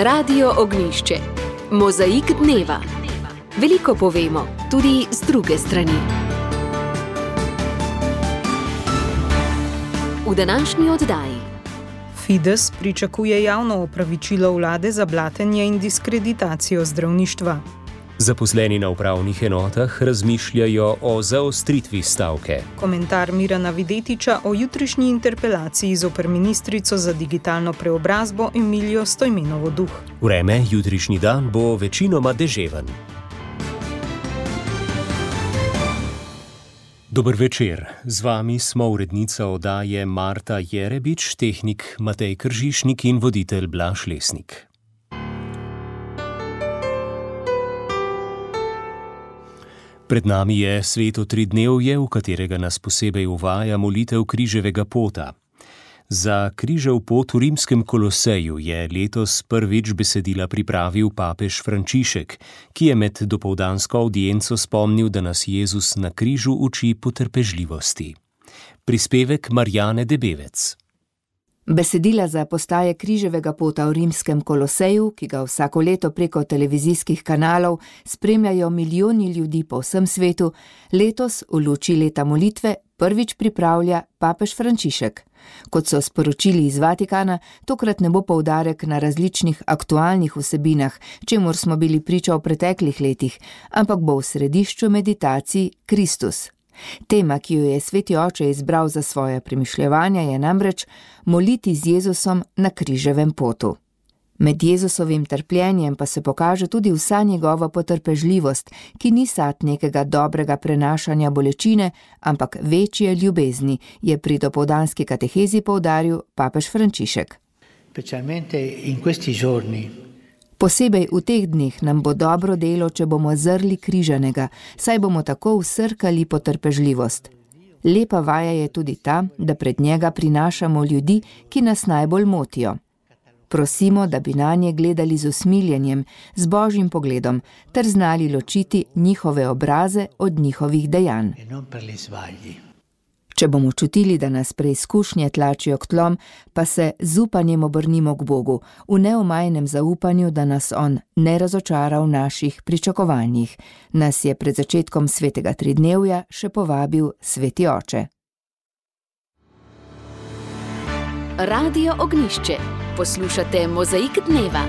Radio Ognjišče. Mozaik dneva. Veliko povemo, tudi z druge strani. V današnji oddaji. Fides pričakuje javno opravičilo vlade za blatenje in diskreditacijo zdravništva. Zaposleni na upravnih enotah razmišljajo o zaostritvi stavke. Komentar Mirana Videtiča o jutrišnji interpelaciji zoper ministrico za digitalno preobrazbo Emilijo Stojmenovo Duh. Vreme jutrišnji dan bo večinoma deževen. Dober večer, z vami smo urednica oddaje Marta Jerebič, tehnik Matej Kržišnik in voditelj Blaž Lesnik. Pred nami je sveto tridnevje, v katerega nas posebej uvaja molitev križevega pota. Za križev pot v rimskem Koloseju je letos prvič besedila pripravil papež Frančišek, ki je med dopoldansko avdienco spomnil, da nas Jezus na križu uči potrpežljivosti. Prispevek Marjane Debevec. Besedila za postaje križevega pota v rimskem Koloseju, ki ga vsako leto preko televizijskih kanalov spremljajo milijoni ljudi po vsem svetu, letos v luči leta molitve prvič pripravlja papež Frančišek. Kot so sporočili iz Vatikana, tokrat ne bo poudarek na različnih aktualnih vsebinah, čemur smo bili priča v preteklih letih, ampak bo v središču meditacij Kristus. Tema, ki jo je Sveti Oče izbral za svoje premišljevanja, je namreč moliti z Jezusom na križevem potu. Med Jezusovim trpljenjem pa se pokaže tudi vsa njegova potrpežljivost, ki ni sad nekega dobrega prenašanja bolečine, ampak večje ljubezni, je pri dopoldanski katehezi poudaril papež Frančišek. Posebej v teh dneh nam bo dobro delo, če bomo zrli križanega, saj bomo tako vsrkali potrpežljivost. Lepa vaja je tudi ta, da pred njega prinašamo ljudi, ki nas najbolj motijo. Prosimo, da bi nanje gledali z usmiljenjem, z božjim pogledom, ter znali ločiti njihove obraze od njihovih dejanj. Če bomo čutili, da nas preizkušnje tlačijo k tlom, pa se z upanjem obrnimo k Bogu, v neomajnem zaupanju, da nas On ne razočara v naših pričakovanjih. Nas je pred začetkom svetega tridnevja še povabil Sveti Oče. Radio Ognjišče. Poslušate Mozaik dneva.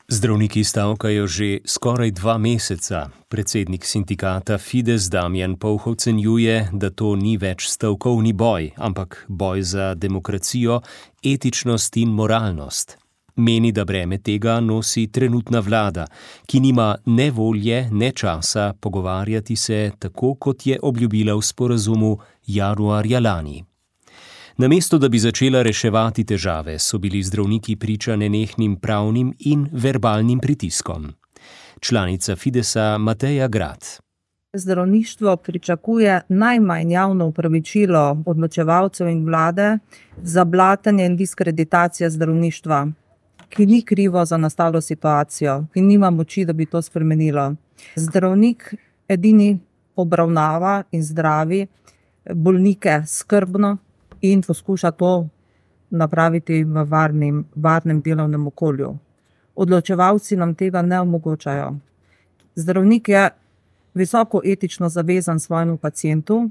Zdravniki stavkajo že skoraj 2 meseca. Predsednik sindikata Fides Damjan Pouh ocenjuje, da to ni več stavkovni boj, ampak boj za demokracijo, etičnost in moralnost. Meni, da breme tega nosi trenutna vlada, ki nima ne volje, ne časa pogovarjati se tako, kot je obljubila v sporazumu januarja lani. Namesto, da bi začela reševati težave, so bili zdravniki priča nenehnim pravnim in verbalnim pritiskom. Članica Fidesa Mateja Grad. Zdravništvo pričakuje najmanj javno opravičilo odločevalcev in vlade za blatenje in diskreditacijo zdravništva, ki ni krivo za nastalo situacijo, ki nima moči, da bi to spremenilo. Zdravnik edini obravnava in zdravi bolnike skrbno in poskuša to napraviti v varnem delovnem okolju. Odločevalci nam tega ne omogočajo. Zdravnik je visoko etično zavezan svojemu pacientu,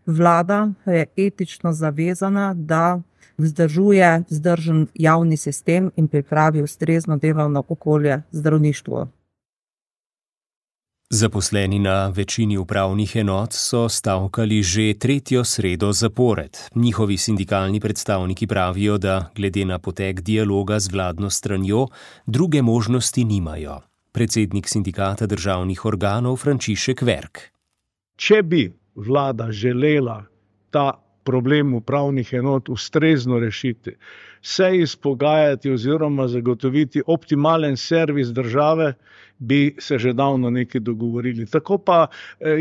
vlada je etično zavezana, da vzdržuje vzdržen javni sistem in pripravi ustrezno delovno okolje zdravništvu. Zaposleni na večini upravnih enot so stavkali že 3. sredo zapored. Njihovi sindikalni predstavniki pravijo, da glede na potek dialoga z vladno stranjo druge možnosti nimajo. Predsednik sindikata državnih organov Frančišek Verk. Če bi vlada želela ta problem upravnih enot ustrezno rešiti, se izpogajati oziroma zagotoviti optimalen servis države, bi se že davno nekaj dogovorili. Tako pa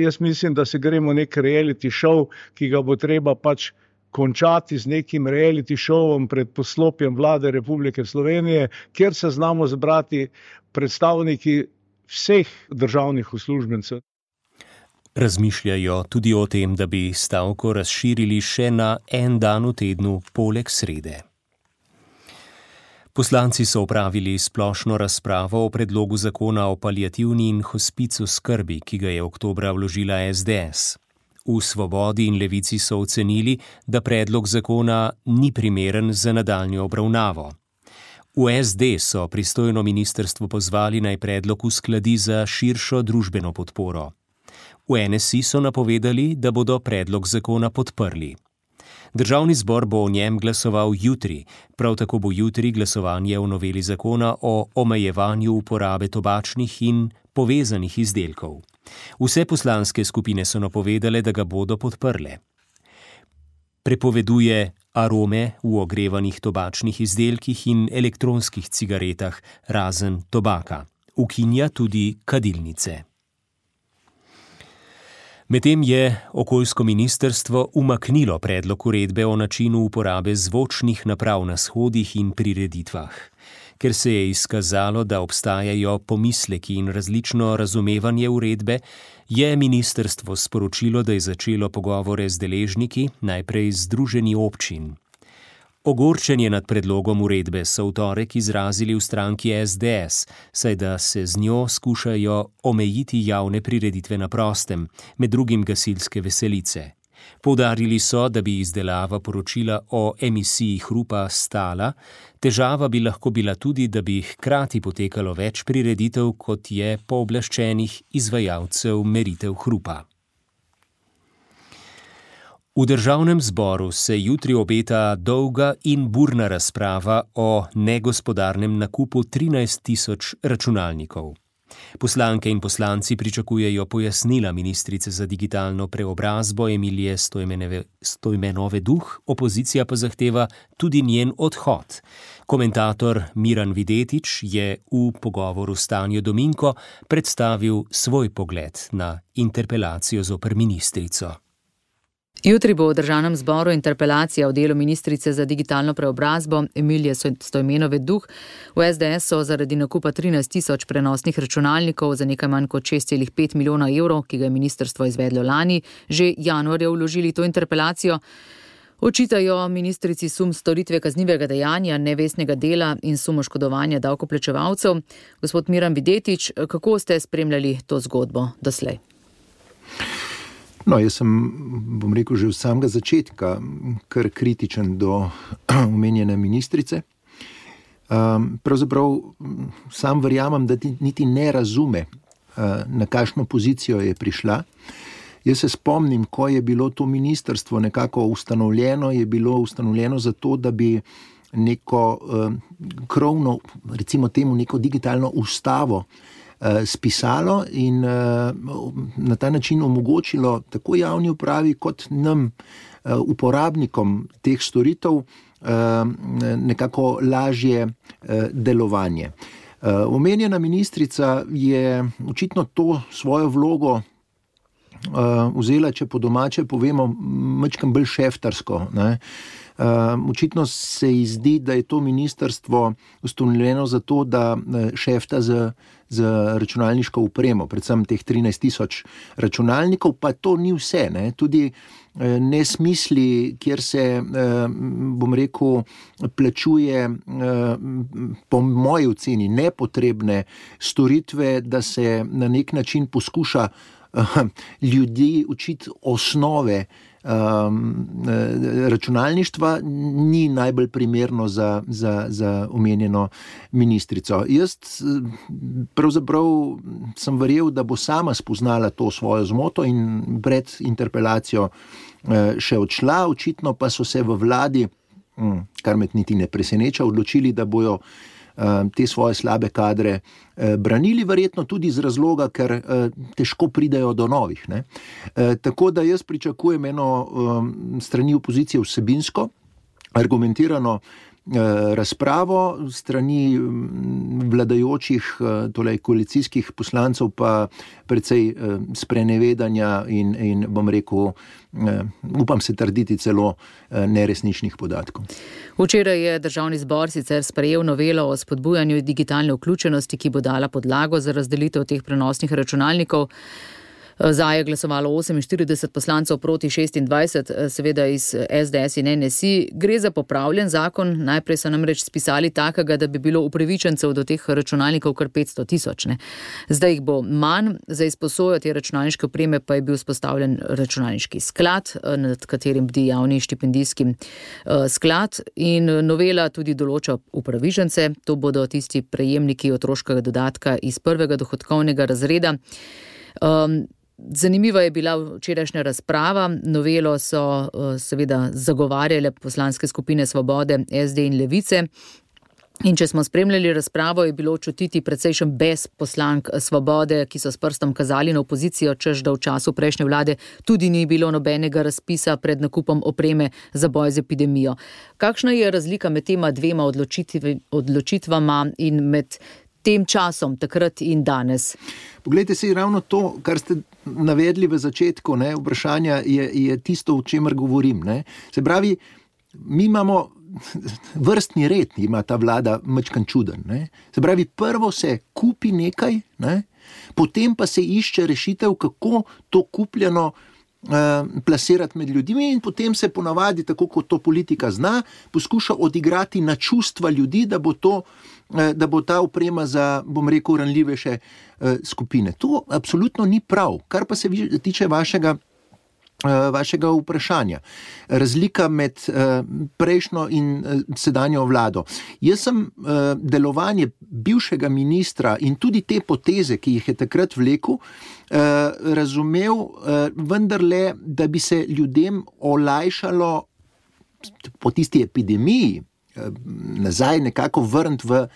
jaz mislim, da se gremo nek reality show, ki ga bo treba pač končati z nekim reality showom pred poslopjem vlade Republike Slovenije, kjer se znamo zbrati predstavniki vseh državnih uslužbencev. Razmišljajo tudi o tem, da bi stavko razširili še na en dan v tednu poleg srede. Poslanci so opravili splošno razpravo o predlogu zakona o paliativni in hospicu skrbi, ki ga je oktobra vložila SDS. V Svobodi in Levici so ocenili, da predlog zakona ni primeren za nadaljnjo obravnavo. V SD so pristojno ministrstvo pozvali, naj predlog uskladi za širšo družbeno podporo. V NSI so napovedali, da bodo predlog zakona podprli. Državni zbor bo o njem glasoval jutri, prav tako bo jutri glasovanje o noveli zakona o omejevanju uporabe tobačnih in povezanih izdelkov. Vse poslanske skupine so napovedale, da ga bodo podprle. Prepoveduje arome v ogrevanih tobačnih izdelkih in elektronskih cigaretah, razen tobaka. Ukinja tudi kadilnice. Medtem je okoljsko ministrstvo umaknilo predlog uredbe o načinu uporabe zvočnih naprav na shodih in prireditvah. Ker se je izkazalo, da obstajajo pomisleki in različno razumevanje uredbe, je ministrstvo sporočilo, da je začelo pogovore z deležniki, najprej z združenji občin. Ogorčenje nad predlogom uredbe so v torek izrazili v stranki SDS, saj da se z njo skušajo omejiti javne prireditve na prostem, med drugim gasilske veselice. Poudarili so, da bi izdelava poročila o emisiji hrupa stala, težava bi lahko bila tudi, da bi hkrati potekalo več prireditev, kot je pooblaščenih izvajalcev meritev hrupa. V Državnem zboru se jutri obeta dolga in burna razprava o negospodarnem nakupu 13.000 računalnikov. Poslanke in poslanci pričakujejo pojasnila ministrice za digitalno preobrazbo Emilije Stojmenove Duh, opozicija pa zahteva tudi njen odhod. Komentator Miran Videtič je v pogovoru s Tanjo Dominko predstavil svoj pogled na interpelacijo zoper ministrico. Jutri bo v Državnem zboru interpelacija o delu ministrice za digitalno preobrazbo Emilije Stojmenove Duh. V SDS so zaradi nakupa 13.000 prenosnih računalnikov za nekaj manj kot 6,5 milijona evrov, ki ga je ministrstvo izvedlo lani, že januarja vložili to interpelacijo. Očitajo ministrici sum storitve kaznivega dejanja, nevestnega dela in sum oškodovanja davkoplačevalcev. Gospod Miran Videtič, kako ste spremljali to zgodbo doslej? No, jaz sem, bom rekel, že od samega začetka kar kritičen do omenjene ministrice. Pravzaprav sam verjamem, da niti ne razume, na kakšno pozicijo je prišla. Jaz se spomnim, ko je bilo to ministrstvo nekako ustanovljeno, je bilo ustanovljeno zato, da bi neko krovno, recimo temu neko digitalno ustavo spisalo in na ta način omogočilo tako javni upravi kot nam, uporabnikom teh storitev, nekako lažje delovanje. Omenjena ministrica je očitno to svojo vlogo vzela, če po domače povemo, majčkeno bolj šeftarsko, ne. Očitno se ji zdi, da je to ministrstvo ustanovljeno zato, da šefta z računalniško opremo, predvsem teh 13.000 računalnikov, pa to ni vse, ne. Tudi nesmisli, kjer se, bom rekel, plačuje po moji oceni nepotrebne storitve, da se na nek način poskuša ljudi učiti osnove računalništva, ni najbolj primerno za omenjeno ministrico. Jaz pravzaprav sem verjel, da bo sama spoznala to svojo zmoto in pred interpelacijo še odšla, očitno pa so se v vladi, kar me niti ne preseneča, odločili, da bojo te svoje slabe kadre branili, verjetno tudi z razloga, ker težko pridejo do novih, ne. Tako da jaz pričakujem eno strani opozicije vsebinsko, argumentirano razpravo, strani vladajočih, torej koalicijskih poslancev pa precej sprenevedanja in bom rekel, upam se trditi celo neresničnih podatkov. Včeraj je Državni zbor sicer sprejel novelo o spodbujanju digitalne vključenosti, ki bo dala podlago za razdelitev teh prenosnih računalnikov. Za je glasovalo 48 poslancev proti 26, seveda iz SDS in NSI. Gre za popravljen zakon. Najprej so namreč spisali takega, da bi bilo upravičencev do teh računalnikov kar 500 tisoč. Zdaj jih bo manj. Za izposojo te računalniške opreme pa je bil vzpostavljen računalniški sklad, nad katerim bdi javni štipendijski sklad, in novela tudi določa upravičence. To bodo tisti prejemniki otroškega dodatka iz prvega dohodkovnega razreda. Zanimiva je bila včerajšnja razprava. Novelo so seveda zagovarjale poslanske skupine Svobode, SD in Levice. In če smo spremljali razpravo, je bilo čutiti precejšen bes poslank Svobode, ki so s prstom kazali na opozicijo, češ da v času prejšnje vlade tudi ni bilo nobenega razpisa pred nakupom opreme za boj z epidemijo. Kakšna je razlika med tema dvema odločitvama in med tem časom, takrat in danes? Poglejte si, ravno to, kar ste navedli v začetku vprašanja, je tisto, o čemer govorim. Se pravi, mi imamo vrstni red, ima ta vlada majčkan čuden. Se pravi, prvo se kupi nekaj, potem pa se išče rešitev, kako to kupljeno plasirati med ljudmi, in potem se ponavadi, tako kot to politika zna, poskuša odigrati na čustva ljudi, da bo ta oprema za, bom rekel, ranljivejše skupine. To absolutno ni prav. Kar pa se tiče vašega vprašanja. Razlika med prejšnjo in sedanjo vlado. Jaz sem delovanje bivšega ministra in tudi te poteze, ki jih je takrat vlekel, razumel vendarle, da bi se ljudem olajšalo po tisti epidemiji nazaj nekako vrniti v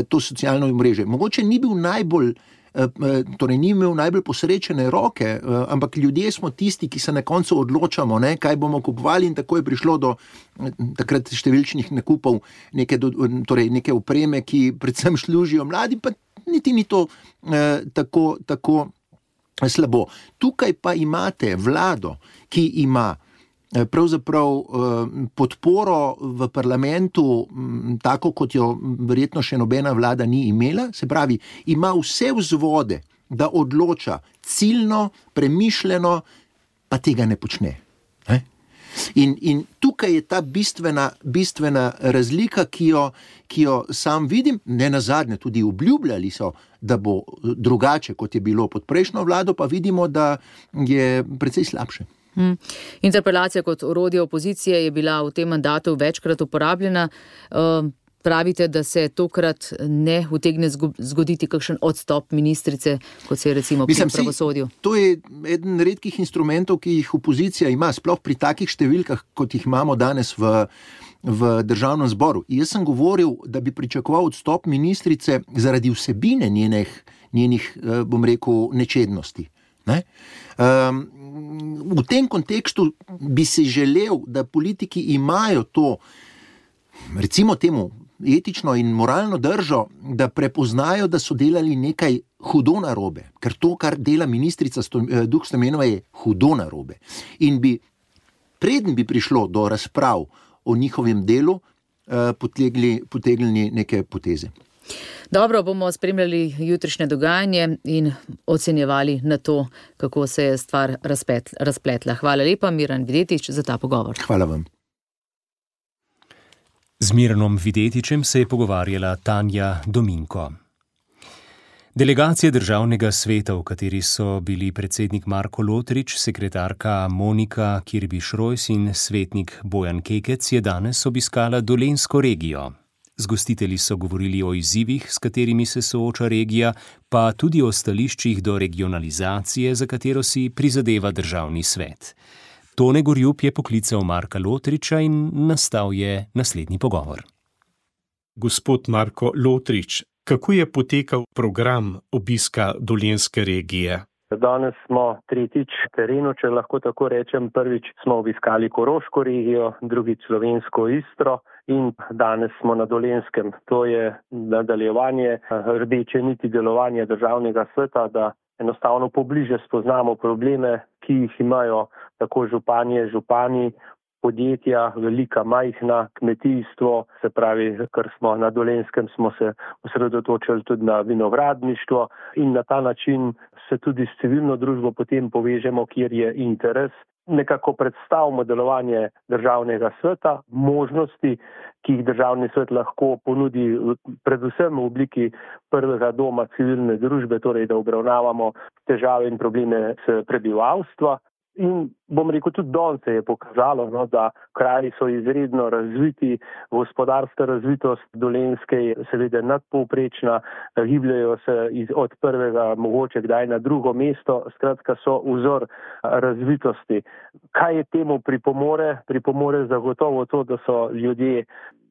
to socialno mreže. Mogoče ni imel najbolj posrečene roke, ampak ljudje smo tisti, ki se na koncu odločamo, kaj bomo kupovali, in tako je prišlo do takrat številčnih nakupov neke opreme, ki predvsem služijo mladi, pa niti ni to tako slabo. Tukaj pa imate vlado, ki ima pravzaprav podporo v parlamentu, tako kot jo verjetno še nobena vlada ni imela, se pravi, ima vse vzvode, da odloča ciljno, premišljeno, pa tega ne počne. In tukaj je ta bistvena razlika, ki jo sam vidim. Ne nazadnje tudi obljubljali so, da bo drugače, kot je bilo pod prejšnjo vlado, pa vidimo, da je precej slabše. Interpelacija kot orodje opozicije je bila v tem mandatu večkrat uporabljena. Pravite, da se tokrat ne utegne zgoditi kakšen odstop ministrice, kot se je recimo pri pravosodju? To je eden redkih instrumentov, ki jih opozicija ima, sploh pri takih številkah, kot jih imamo danes v državnem zboru. Jaz sem govoril, da bi pričakoval odstop ministrice zaradi vsebine njenih, bom rekel, nečednosti. V tem kontekstu bi si želel, da politiki imajo to, recimo temu, etično in moralno držo, da prepoznajo, da so delali nekaj hudo narobe. Ker to, kar dela ministrica Duh Stoimenova, je hudo narobe. In preden bi prišlo do razprav o njihovem delu, potegnili neke poteze. Dobro, bomo spremljali jutrišnje dogajanje in ocenjevali na to, kako se je stvar razpletla. Hvala lepa, Miran Videtič, za ta pogovor. Hvala vam. Z Miranom Videtičem se je pogovarjala Tanja Dominko. Delegacija Državnega sveta, v kateri so bili predsednik Marko Lotrič, sekretarka Monika Kirbiš-Rojs in svetnik Bojan Kekec, je danes obiskala Dolenjsko regijo. Z gostitelji so govorili o izzivih, s katerimi se sooča regija, pa tudi o stališčih do regionalizacije, za katero si prizadeva Državni svet. Tone Gorjup je poklical Marka Lotriča in nastal je naslednji pogovor. Gospod Marko Lotrič, kako je potekal program obiska Dolenjske regije? Danes smo tretjič v terenu, če lahko tako rečem. Prvič smo obiskali Koroško regijo, drugič Slovensko Istro in danes smo na Dolenjskem. To je nadaljevanje rdeče niti delovanja Državnega sveta, da enostavno pobliže spoznamo probleme, ki jih imajo tako županje, župani, podjetja, velika, majhna, kmetijstvo, se pravi, ker smo na Dolenjskem, smo se osredotočili tudi na vinogradništvo in na ta način se tudi s civilno družbo potem povežemo, kjer je interes. Nekako predstavimo delovanje državnega sveta, možnosti, ki jih državni svet lahko ponudi predvsem v obliki prvega doma civilne družbe, torej da obravnavamo težave in probleme s prebivalstva. In bom rekel, tudi danes se je pokazalo, da kraji so izredno razviti, gospodarska razvitost Dolenjske je seveda nadpovprečna, gibljajo se od prvega mogoče kdaj na drugo mesto, skratka so vzor razvitosti. Kaj je temu pripomore? Pripomore zagotovo to, da so ljudje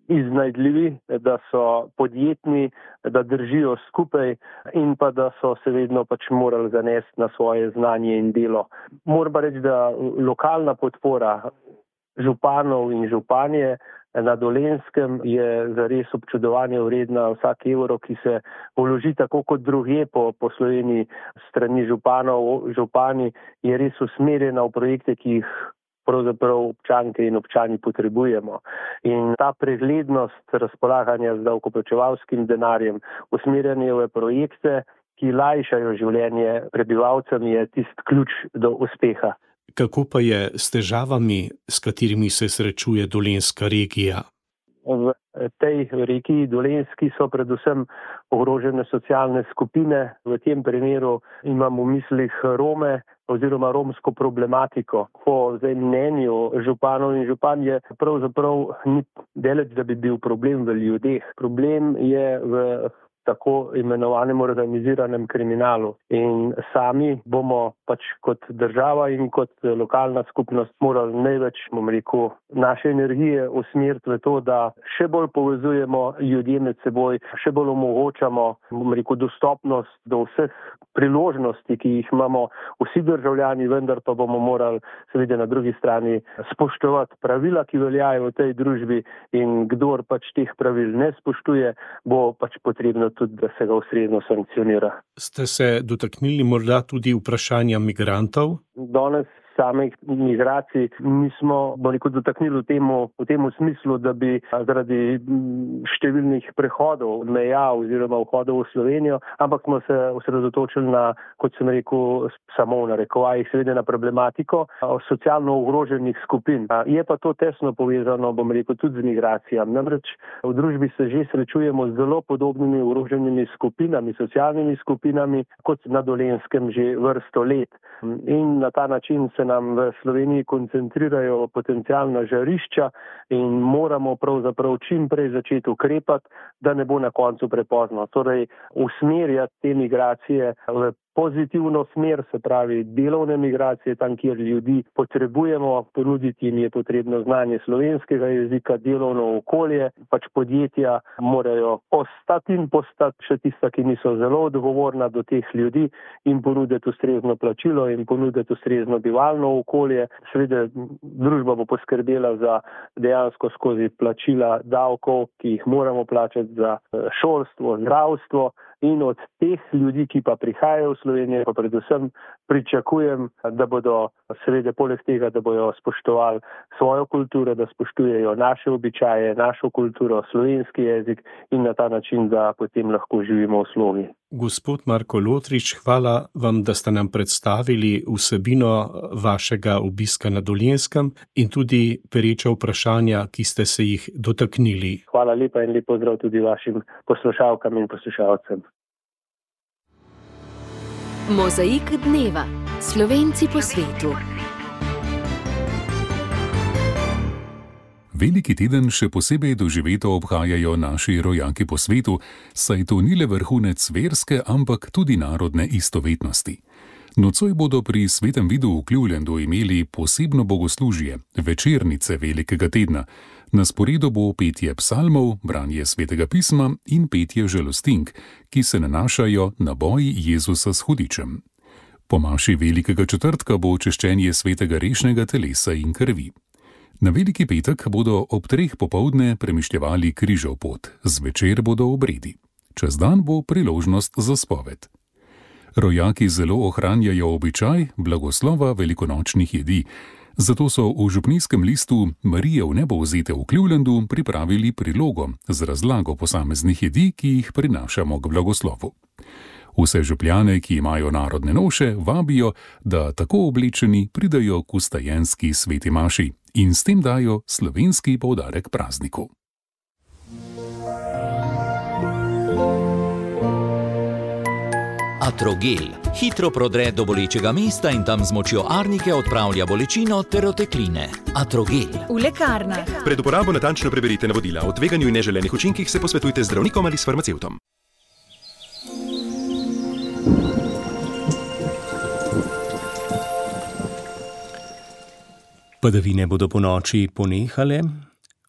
iznajdljivi, da so podjetni, da držijo skupaj in pa da so se vedno morali zanesti na svoje znanje in delo. Moram pa reči, da lokalna podpora županov in županje na Dolenjskem je zares občudovanje vredna. Vsak evro, ki se vloži tako kot drugje po Sloveniji strani županov, župani, je res usmerjena v projekte, ki jih pravzaprav občanke in občani potrebujemo. In ta preglednost razpolaganja z davkoplačevalskim denarjem, usmerjanje v projekte, ki lajšajo življenje prebivalcem, je tisti ključ do uspeha. Kako pa je s težavami, s katerimi se srečuje dolenjska regija? V tej regiji Dolenjski so predvsem ogrožene socialne skupine. V tem primeru imam v mislih Rome oziroma romsko problematiko. Po mnenju županov in županj je pravzaprav ni daleč, da bi bil problem v ljudeh. Problem je v tako imenovanem organiziranem kriminalu. In sami bomo kot država in kot lokalna skupnost morali največ, naše energije usmeriti v to, da še bolj povezujemo ljudje med seboj, še bolj omogočamo, dostopnost do vseh priložnosti, ki jih imamo vsi državljani, vendar pa bomo morali seveda na drugi strani spoštovati pravila, ki veljajo v tej družbi, in kdor teh pravil ne spoštuje, bo potrebno tudi, da se ga ustrezno sankcionira. Ste se dotaknili morda tudi vprašanja migrantov? Danes samih migracij nismo dotaknili v tem smislu, da bi zaradi številnih prehodov meja oziroma vhodov v Slovenijo, ampak smo se osredotočili na, kot sem rekel, samo v narekovajih, seveda na problematiko socialno ogroženih skupin. Je pa to tesno povezano, tudi z migracijami. Namreč v družbi se že srečujemo z zelo podobnimi ogroženimi skupinami, socialnimi skupinami, kot na Dolenjskem že vrsto let. In na ta način se nam v Sloveniji koncentrirajo potencialna žarišča in moramo pravzaprav čim prej začeti ukrepati, da ne bo na koncu prepozno. Torej, usmerjati te migracije v pozitivno smer, se pravi delovne migracije, tam, kjer ljudi potrebujemo, ponuditi jim je potrebno znanje slovenskega jezika, delovno okolje, podjetja morajo ostati in postati še tista, ki niso zelo odgovorna do teh ljudi, in ponuditi ustrezno plačilo in ponuditi ustrezno bivalno okolje. Seveda družba bo poskrbela za dejansko skozi plačila davkov, ki jih moramo plačati za šolstvo, zdravstvo, in od teh ljudi, ki pa prihajajo v Slovenijo, pa predvsem pričakujem, da bodo seveda poleg tega, da bodo spoštovali svojo kulturo, da spoštujejo naše običaje, našo kulturo, slovenski jezik in na ta način, da potem lahko živimo v slogi. Gospod Marko Lotrič, hvala vam, da ste nam predstavili vsebino vašega obiska na Dolenjskem in tudi pereča vprašanja, ki ste se jih dotaknili. Hvala lepa in lep pozdrav tudi vašim poslušalkam in poslušalcem. Mozaik dneva. Slovenci po svetu. Veliki teden še posebej doživeto obhajajo naši rojaki po svetu, saj to ni le vrhunec verske, ampak tudi narodne istovetnosti. Nocoj bodo pri svetem vidu v Clevelandu imeli posebno bogoslužje, večernice velikega tedna. Na sporedu bo petje psalmov, branje svetega pisma in petje žalostink, ki se nanašajo na boj Jezusa s hudičem. Po maši velikega četrtka bo češčenje svetega rešnega telesa in krvi. Na veliki petek bodo ob 3 popoldne premišljevali križev pot, zvečer bodo obredi. Čez dan bo priložnost za spoved. Rojaki zelo ohranjajo običaj blagoslova velikonočnih jedi. Zato so v župnijskem listu Marije v nebo vzete v Clevelandu pripravili prilogo z razlago posameznih jedi, ki jih prinašamo k blagoslovu. Vse župljane, ki imajo narodne noše, vabijo, da tako oblečeni pridajo k vstajenski sveti maši in s tem dajo slovenski poudarek prazniku. Atrogel hitro prodre do bolečega mesta in tam z močjo arnike odpravlja bolečino ter otekline. Atrogel. V lekarnah. Pred uporabo natančno preberite navodila. O tveganju in neželenih učinkih se posvetujte z zdravnikom ali s farmacevtom. Padavine bodo ponoči ponehale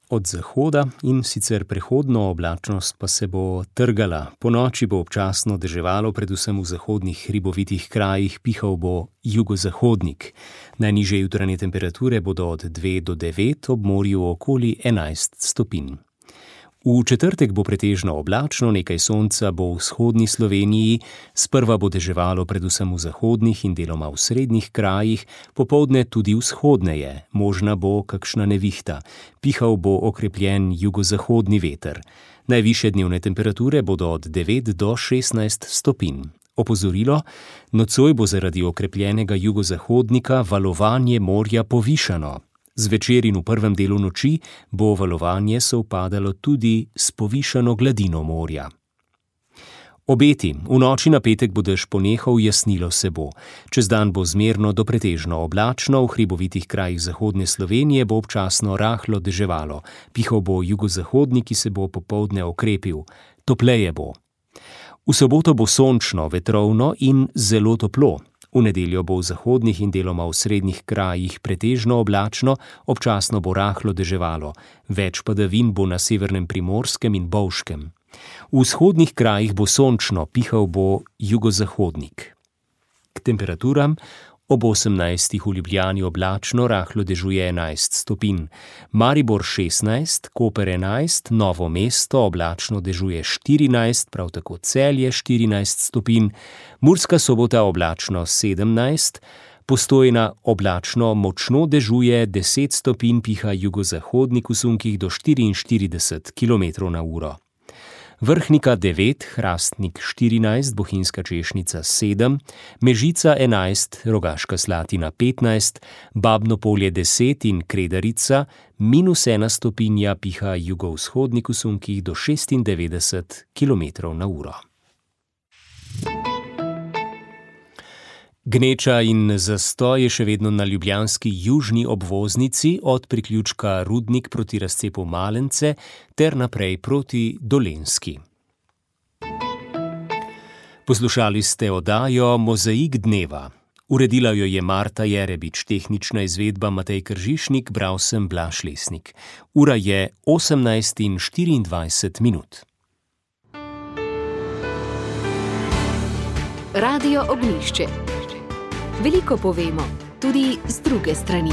od zahoda in sicer prehodno oblačnost pa se bo trgala. Ponoči bo občasno deževalo, predvsem v zahodnih hribovitih krajih, pihal bo jugozahodnik. Najnižje jutranje temperature bodo od 2 do 9, ob morju okoli 11 stopinj. V četrtek bo pretežno oblačno, nekaj sonca bo v vzhodni Sloveniji, sprva bo deževalo predvsem v zahodnih in deloma v srednjih krajih, popoldne tudi vzhodneje, možna bo kakšna nevihta, pihal bo okrepljen jugozahodni veter. Najvišje dnevne temperature bodo od 9 do 16 stopinj. Opozorilo, nocoj bo zaradi okrepljenega jugozahodnika valovanje morja povišano. Zvečer in v prvem delu noči bo valovanje sovpadalo tudi s povišano gladino morja. Obeti. V noči na petek bo dež ponehal, jasnilo se bo. Čez dan bo zmerno do pretežno oblačno, v hribovitih krajih zahodne Slovenije bo občasno rahlo deževalo. Pihal bo jugozahodnik, ki se bo popoldne okrepil. Topleje bo. V soboto bo sončno, vetrovno in zelo toplo. V nedeljo bo v zahodnih in deloma v srednjih krajih pretežno oblačno, občasno bo rahlo deževalo. Več padavin bo na severnem Primorskem in Bovškem. V vzhodnih krajih bo sončno, pihal bo jugozahodnik. K temperaturam. Ob 18 v Ljubljani oblačno, rahlo dežuje 11 stopinj. Maribor 16, Koper 11, Novo mesto oblačno dežuje 14, prav tako Celje 14 stopinj, Murska Sobota oblačno 17, Postojna oblačno močno dežuje 10 stopinj, piha jugozahodnik v sunkih do 44 km/h. Vrhnika 9, Hrastnik 14, Bohinjska Češnica 7, Mežica 11, Rogaška Slatina 15, Babno Polje 10 in Kredarica -1 stopinja, piha jugovzhodnik v sunkih do 96 km/h. Gneča in zastoj je še vedno na ljubljanski južni obvoznici od priključka Rudnik proti razcepu Malence ter naprej proti Dolenjski. Poslušali ste oddajo Mozaik dneva. Uredila jo je Marta Jerebič, tehnična izvedba Matej Kržišnik, bral sem Blaž Lesnik. Ura je 18:24. Radio Ognjišče. Veliko povemo, tudi z druge strani.